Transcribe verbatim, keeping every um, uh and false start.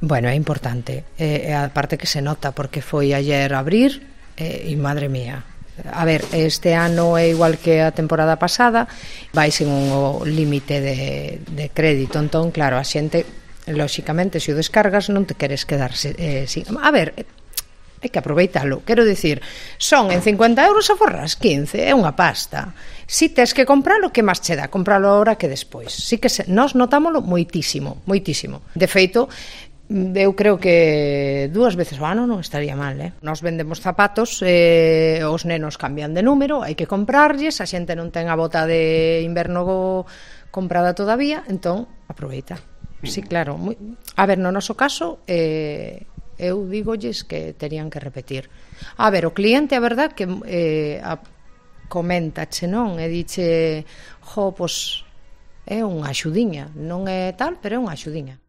Bueno, é importante, e a parte que se nota, porque foi ayer abrir e, e madre mía, a ver, este ano é igual que a temporada pasada, vai sen un límite de, de crédito, entón, claro, a xente, lóxicamente, se o descargas non te queres quedar eh, sin... A ver, hai que aproveitalo, quero dicir, son en cincuenta euros a forras quince, é unha pasta. Si tes que compralo, que máis che dá? Compralo ahora que despois. Si que se, nós notámoslo moitísimo, moitísimo. De feito, eu creo que dúas veces ao ano non estaría mal, eh? Nós vendemos zapatos, eh, os nenos cambian de número, hai que comprarlles, a xente non ten a bota de inverno comprada todavía, entón, aproveita. Sí, claro. Muy... A ver, no noso caso, eh, eu dígolles que terían que repetir. A ver, o cliente, a verdad, que eh, a, coméntache, non? E diche, jo, pois, é unha axudiña, non é tal, pero é unha axudiña.